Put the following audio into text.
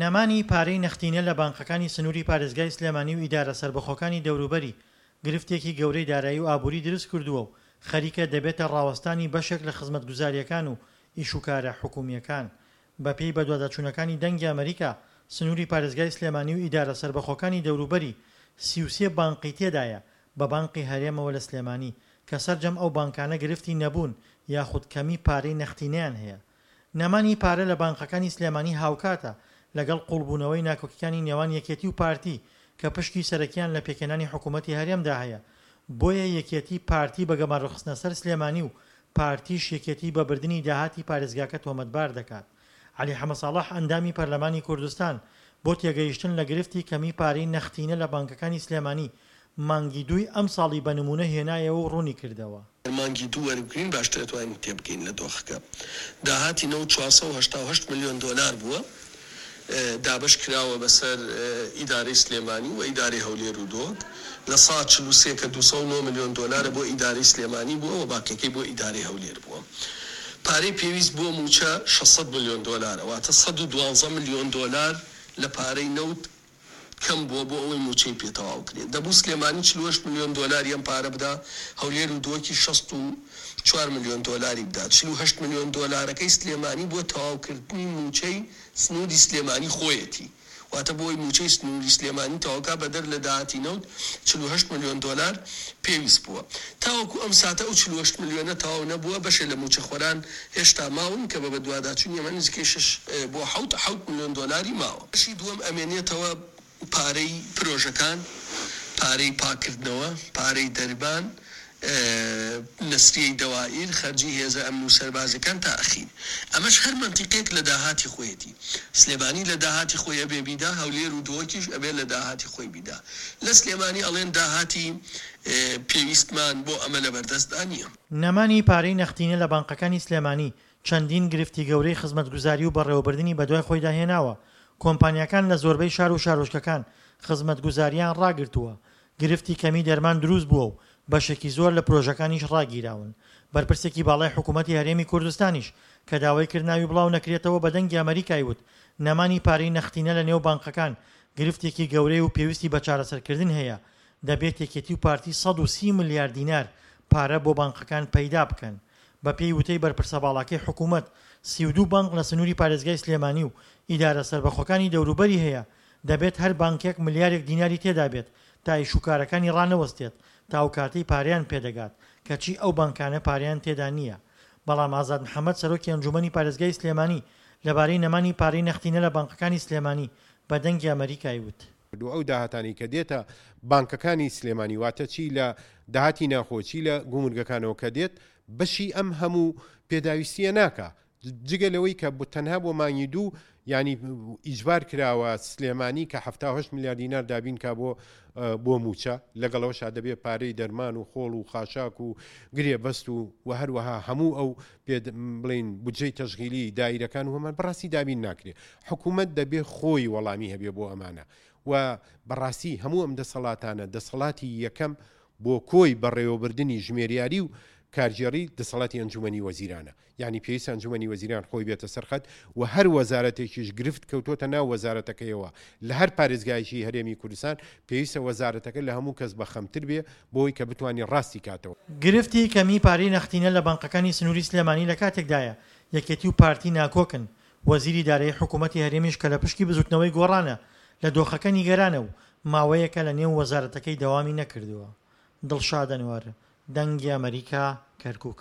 نەمانی پارەی نەختینە لە بانقەکانی سنووری پارێزگای سلێمانی و ئیدارە سەربەخۆکانی دەوروبەری گرفتێکی گەورەی دارایی و ئابووری دروست کردووە و خەریکە دەبێتە ڕاوەستانی بەشێک لە خزمەتگوزارییەکان و ئیشوکارە حکوومییەکان. بەپێی بەدواداچوونەکانی دەنگی ئەمەریکا، سنووری پارێزگای سلێمانی و ئیدارە سەربەخۆکانی دەوروبەری 33 بانقی تێدایە بە بانقی هەرێمەوە لە سلێمانی، کە سەرجەم ئەو بانکانە گرفتی نەبوون یاخود کەمی پارەی نەختینەیان هەیە. نەمانی پارە لە بانقەکانی سلێمانی هاوکاتە لەگەڵ قوڵبوونەوەی ناکۆکیکانی نێوان یەکێتی و پارتی کە پشکی سەرەکیان لە پێکهێنانی حکوومەتی هەرێمدا هەیە، بۆیە یەکێتی پارتی بە گەمارۆخستنە سەر سلێمانی و پارتیش یەکێتی بە بردنی داهاتی پارێزگاکە تۆمەتبار دەکات. عەلی حەمەساڵح ئەندامی پەرلەمانی کوردستان بۆ تێگەیشتن لە گرفتی کەمی پارەی نەختینە لە بانکەکانی سلێمانی مانگی دووی ئەمساڵی بە نموونە هێنایەوە و ڕوونیکردەوە. مانگی دوو وەربگرین باشتر ئەتوانین تێبگەین لە دۆخەکە. داهاتی نەوت 488 ملیۆن دۆلار بووە دابەش کراوە بەسەر ئیدارەی سلێمانی و ئیدارەی هەولێر و دهۆک. لە سا 43 کە 209 ملیۆن دۆلارە بۆ ئیدارەی سلێمانی بووە و باقیەکەی بۆ ئیدارەی هەولێر بووە. پارەی پێویست بۆ مووچە 600 ملیۆن دۆلارە واتە 112 ملیۆن دۆلار لە پارەی نەوت کەم بووە بۆ ئەوەی مووچەی پێ تەواو کرێ. دەبوو سلێمانی 48 ملیۆن دۆلاری ئەم پارە بدا، هەولێر و دهۆکیش 64 ملیۆن دۆلاری بدا. 48 ملیۆن دۆلارەکەی سلێمانی بۆ تەواوکردنی مووچەی سنووری سلێمانی خۆیەتی. واتە بۆ ئەوەی مووچەی سنووری سلێمانی تەواو کا بەدەر لە داهاتی نەوت 48 ملیۆن دۆلار پێویست بووە. تاوەکو ئەم ساتە ئەو 48 ملیۆنە تەواو نەبووە، بەشێ لە مووچەخۆران هێشتا ماون کە بە بەدواداچوونی ئەمە نزیکەی شەش بۆ حەوت حەوت ملیۆن دۆلاری ماوە. بەشی دووەم ئەمێنێتەوە پارەی پرۆژەکان، پارەی پاککردنەوە، پارەی دەرمان، نەسریەی دەوائیر، خەرجی هێزە ئەمن و سەربازیەکان تا ئەخیر. ئەمەش هەر مەنتیقێک لە داهاتی خۆیەتی. سلێمانی لە داهاتی خۆی ئەبێ بیدا، هەولێر و دهۆکیش ئەبێ لە داهاتی خۆی بیدا. لە سلێمانی ئەڵێن داهاتی پێویستمان بۆ ئەمە لەبەردەستدا نییە. نەمانی پارەی نەختینە لە بانقەکانی سلێمانی چەندین گرفتی گەورەی خزمەتگوزاری و بەڕێوەبردنی بەدوای خۆیدا هێناوە، کۆمپانیاکان لە زۆربەی شار و شارۆچکەکان خزمەتگوزارییان ڕاگرتووە، گرفتی کەمی دەرمان دروست بووە و بەشێکی زۆر لە پرۆژەکانیش ڕاگیراون. بەرپرسێکی باڵای حکوومەتی هەرێمی کوردستانیش کە داوای کرد ناوی بڵاو نەکرێتەوە بە دەنگی ئەمەریکای وت، نەمانی پارەی نەختینە لە نێو بانقەکان گرفتێکی گەورەیە و پێویستی بە چارەسەرکردن هەیە، دەبێت یەکێتی و پارتی 130 ملیار دینار پارە بۆ بانقەکان پەیدا بکەن. بەپێی وتەی بەرپرسە باڵاکەی حکوومەت، 32 بانق لە سنووری پارێزگای سلێمانی و ئیدارە سەربەخۆکانی دەوروبەری هەیە، دەبێت هەر بانکێک ملیارێک دیناری تێدابێت تا ئیشوکارەکانی ڕانەوەستێت تا ئەوکاتەی پارەیان پێدەگات، کەچی ئەو بانکانە پارەیان تێدا نییە. بەڵام ئازاد محەمەد سەرۆکی ئەنجوومەنی پارێزگای سلێمانی لەبارەی نەمانی پارەی نەختینە لە بانقەکانی سلێمانی بە دەنگی ئەمەریکای وت. و ئەو داهاتانەی کە دێتە بانکەکانی سلێمانی واتە چی لە داهاتی ناخۆ چی لە گومرگەکانەوە کە دێت بەشی ئەم هەموو پێداویستیە ناکا جگە لەوەی کە تەنها بۆ مانگی دوو یانی ئیجبار کراوە سلێمانی کە 78 ملیار دینار دابین کا بۆ بۆ موچە لەگەڵەوەشا دەبێت پارەی دەرمان و خۆڵ و خاشاک و گرێ بەست و و هەروەها هەموو ئەو پێ بڵین بودجەی تەشغیلی دایرەکان و هەمان بەڕاستی دابین ناکرێ حکوومەت دەبێ خۆی وەڵامی هەبێ بۆ ئەمانە و بەڕاستی هەموو ئەم دەسەڵاتانە دەسەڵاتی یەکەم بۆ کۆی بەڕێوەبردنی ژمێریاری و کارگێڕی دەسەڵاتی ئەنجومەنی وەزیرانە یانی پێویستە ئەنجومەنی وەزیران خۆی بێتە سەر خەت و هەر وەزارەتێکیش گرفت کەوتۆتە ناو وەزارەتەکەیەوە لە هەر پارێزگایەکی هەرێمی کوردستان پێویستە وەزارەتەکە لە هەموو کەس بە خەمتر بێ بۆی کە بتوانی ڕاستی کاتەوە. گرفتی کەمی پارەی نەختینە لە بانقەکانی سنووری سلێمانی لە کاتێکدایە یەکێتی و پارتی ناکۆکن، وەزیری دارایی حکوومەتی هەرێمیش کە لە پشکی بزووتنەوەی گۆڕانە لە دۆخەکە نیگەرانە و ماوەیەکە لە نێو وەزارەتەکەی دەوامی نەکردووە. دڵشاد ئەنوەر، دەنگی ئەمەریکا، کەرکووک.